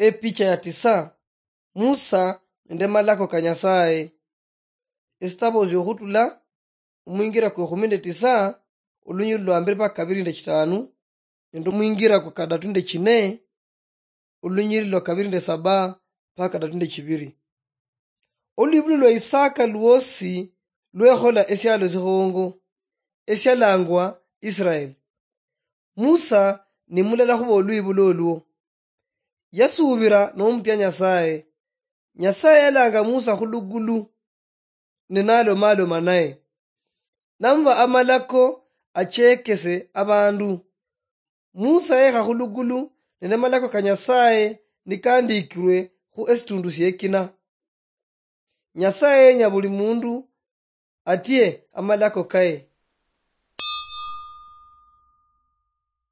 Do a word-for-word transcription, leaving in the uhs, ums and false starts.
Epicha ya tisa. Musa nende malako ka Nyasaye. Esitabo syokhutula, omwingira kwekhumi nende tisa, olunyiri lwa mbere mpaka kabiri nende chitanu, nende omwingira kwa kadatu nende chine, olunyiri lwa kabiri nende saba mpaka kadatu nende chibiri. Olwibulu lwa Isaka lwosi lwekhola esialo sikhongo, esialangwa Israel. Musa ni mulala khuba olwibulu olwo. Yasuubira nomutia Nyasaye. Nyasaye yalanga Musa khulugulu, ne nalomaloma naye. Namuba amalako achekese abandu. Musa yekha khulugulu, nende amalako ka Nyasaye nikandikirwe khu esitundu siekina. Nyasaye yenya buli mundu atie amalako kaye.